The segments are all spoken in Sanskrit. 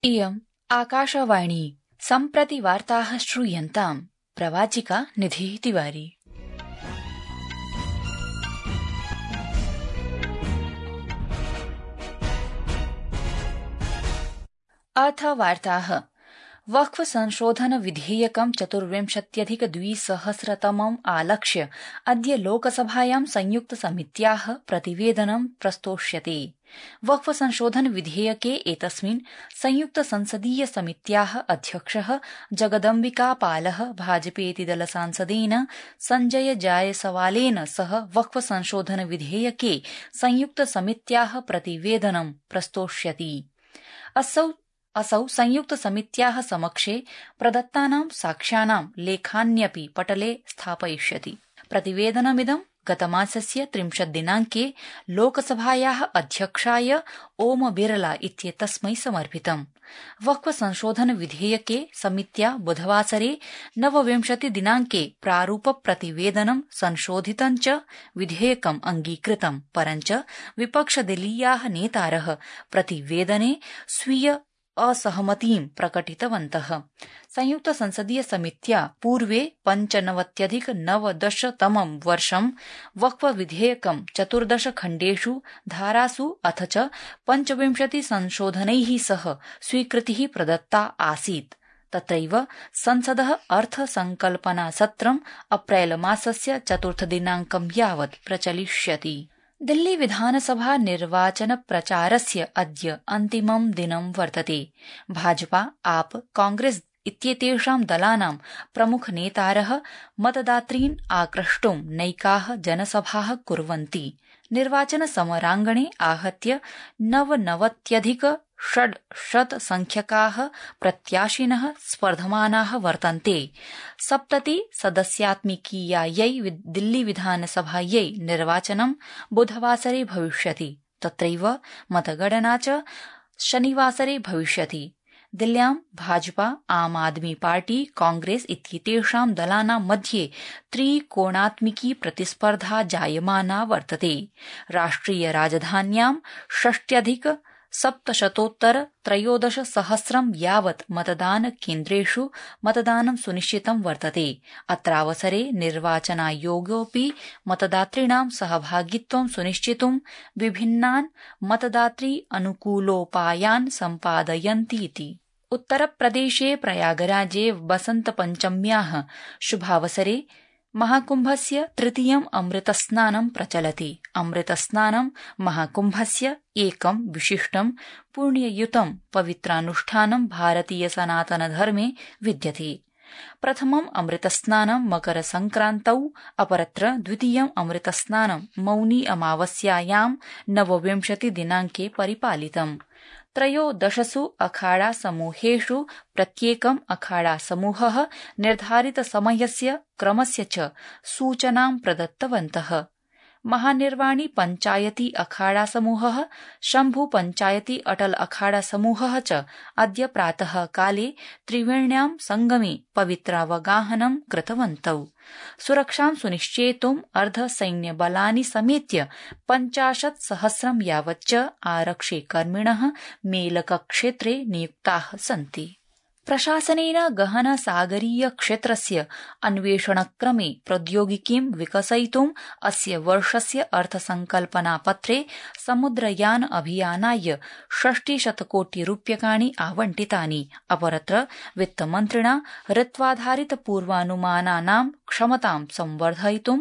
इयम् आकाशवाणी सम्प्रति वार्ताः श्रूयन्ताम्। प्रवाचिका निधिः तिवारी। अथ वार्ताः। वक्फ संशोधन विधेयकं 24,2020 आलक्ष्य अद्य लोकसभायां संयुक्त समित्याः प्रतिवेदनं प्रस्तोष्यते। वक्फ संशोधन विधेयके एतस्मिन् संयुक्त संसदीय समित्याः अध्यक्षः जगदम्बिकापालः भाजपेति दलसांसदेन संजय जायसवालेन सह वक्फ संशोधन विधेयके संयुक्त समित्याः प्रतिवेदनं प्रस्तोष्यति। असौ संयुक्त समित्याः समक्षे प्रदत्तानां साक्ष्यानां लेखान्यपि पटले स्थापयिष्यति। प्रतिवेदनमिदं गतमासस्य 30 दिनाङ्के लोकसभायाः अध्यक्षाय ओम बिरला इत्येतस्मै समर्पितम्। वक्फ संशोधन विधेयके समित्या बुधवासरे 29 दिनाङ्के प्रारूप प्रतिवेदनं संशोधितं च विधेयकम् अङ्गीकृतम्, परञ्च विपक्षदलीयाः नेतारः प्रतिवेदने स्वीय असहमतिं प्रकटितवन्तः। संयुक्त संसदीय समित्या पूर्वे 95-19 वर्षं वक्फ विधेयकं 14 खण्डेषु धारासु अथ च 25 संशोधनैः सह स्वीकृतिः प्रदत्ता आसीत्। तत्रैव संसदः अर्थसंकल्पनासत्रम् अप्रैल मासस्य 4 दिनाङ्कं यावत् प्रचलिष्यति। दिल्ली विधानसभा निर्वाचन प्रचारस्य अद्य अन्तिमं दिनं वर्तते। भाजपा, आप, कांग्रेस इत्येतेषां दलानां प्रमुखनेतारः मतदातॄन् आक्रष्टुं नैकाः जनसभाः कुर्वन्ति। निर्वाचन समराङ्गणे आहत्य 99,600 संख्यकाः प्रत्याशिनः स्पर्धमानाः वर्तन्ते। 70 सदस्यात्मिकीयायै दिल्ली विधानसभायै निर्वाचनं बुधवासरे भविष्यति। तत्रैव मतगणना च शनिवासरे भविष्यति। दिल्ल्यां भाजपा, आम आदमी पार्टी, कांग्रेस इत्येतेषां दलानां मध्ये त्रिकोणात्मिकी प्रतिस्पर्धा जायमाना वर्तते। राष्ट्रिय राजधान्यां 6,713,000 यावत् मतदानकेन्द्रेषु मतदानं सुनिश्चितं वर्तते। अत्रावसरे निर्वाचनायोगोऽपि मतदातॄणां सहभागित्वं सुनिश्चितुं विभिन्नान् मतदातृ अनुकूलोपायान् सम्पादयन्तीति। उत्तरप्रदेशे प्रयागराजे वसन्तपञ्चम्याः शुभावसरे महाकुम्भस्य तृतीयम् अमृतस्नानं प्रचलति। अमृतस्नानं महाकुम्भस्य एकं विशिष्टं पुण्ययुतं पवित्रानुष्ठानं भारतीय सनातनधर्मे विद्यते। प्रथमम् अमृतस्नानं मकरसंक्रान्तौ, अपरत्र द्वितीयम् अमृतस्नानं मौनी अमावास्यायां 29 दिनाङ्के परिपालितम्। 13 अखाड़ा समूहेषु प्रत्येकम् अखाड़ा समूहः निर्धारितसमयस्य क्रमस्य च सूचनां प्रदत्तवन्तः। महानिर्वाणी पंचायती अखाड़ा समूहः, शम्भु पंचायती अटल अखाड़ा समूहः च अद्य प्रातः काले त्रिवेण्यां संगमे पवित्रावगाहनं कृतवन्तौ। सुरक्षां सुनिश्चेतुम् अर्धसैन्यबलानि समेत्य 50,000 यावच्च आरक्षिकर्मिणः मेलकक्षेत्रे नियुक्ताः सन्ति। प्रशासनेन गहन सागरीय क्षेत्रस्य अन्वेषणक्रमे प्रौद्योगिकीं विकसयितुम् अस्य वर्षस्य अर्थसंकल्पनापत्रे समुद्रयान अभियानाय 60 कोटिरूप्यकाणि आवंटितानि। अपरत्र वित्तमन्त्रिणा ऋत्वाधारित पूर्वानुमानानां क्षमतां संवर्धयितुं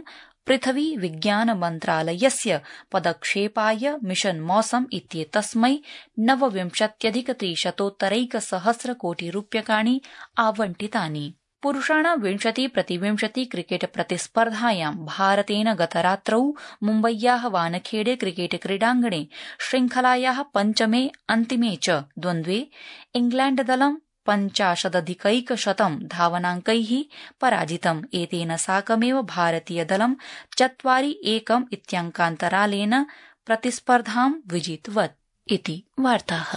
पृथ्वी विज्ञान मन्त्रालयस्य पदक्षेपाय मिशन मौसम इत्येतस्मै 29,300 कोटिरूप्यकाणि आवंटितानि। पुरुषाणां 20-20 क्रिकेट प्रतिस्पर्धायां भारतेन गतरात्रौ मुम्बय्याः वानखेड़े क्रिकेट क्रीडाङ्गणे श्रृंखलायाः पञ्चमे अन्तिमे च द्वन्द्वे इंग्लैण्डदलं 50,100 धावनाङ्कैः पराजितम्। एतेन साकमेव भारतीयदलं 4-1 इत्यङ्कान्तरालेन प्रतिस्पर्धां विजितवत् इति वार्ताः।